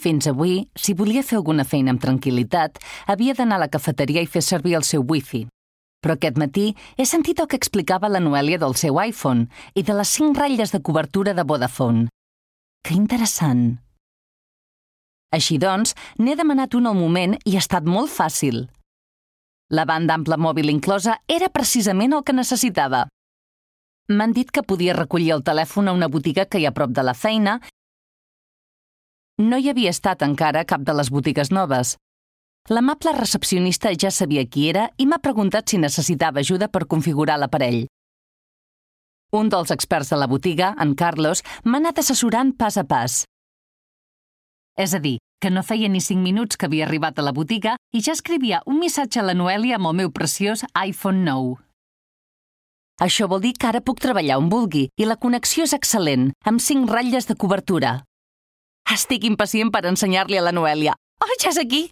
Fins avui, si volia fer alguna feina amb tranquil·litat, havia d'anar a la cafeteria i fer servir el seu wifi. Però aquest matí he sentit el que explicava la Noèlia del seu iPhone i de les 5 ratlles de cobertura de Vodafone. Que interessant. Així doncs, n'he demanat un al moment i ha estat molt fàcil. La banda ampla mòbil inclosa era precisament el que necessitava. M'han dit que podia recollir el telèfon a una botiga que hi ha a prop de la feina. No hi havia estat encara a cap de les botigues noves. L'amable recepcionista ja sabia qui era i m'ha preguntat si necessitava ajuda per configurar l'aparell. Un dels experts de la botiga, en Carlos, m'ha anat assessorant pas a pas. És a dir, que no feia ni 5 minuts que havia arribat a la botiga i ja escrivia un missatge a la Noèlia amb el meu preciós iPhone 9. Això vol dir que ara puc treballar on vulgui i la connexió és excel·lent, amb 5 ratlles de cobertura. Estic impacient per ensenyar-li a la Noèlia. Oh, ja és aquí!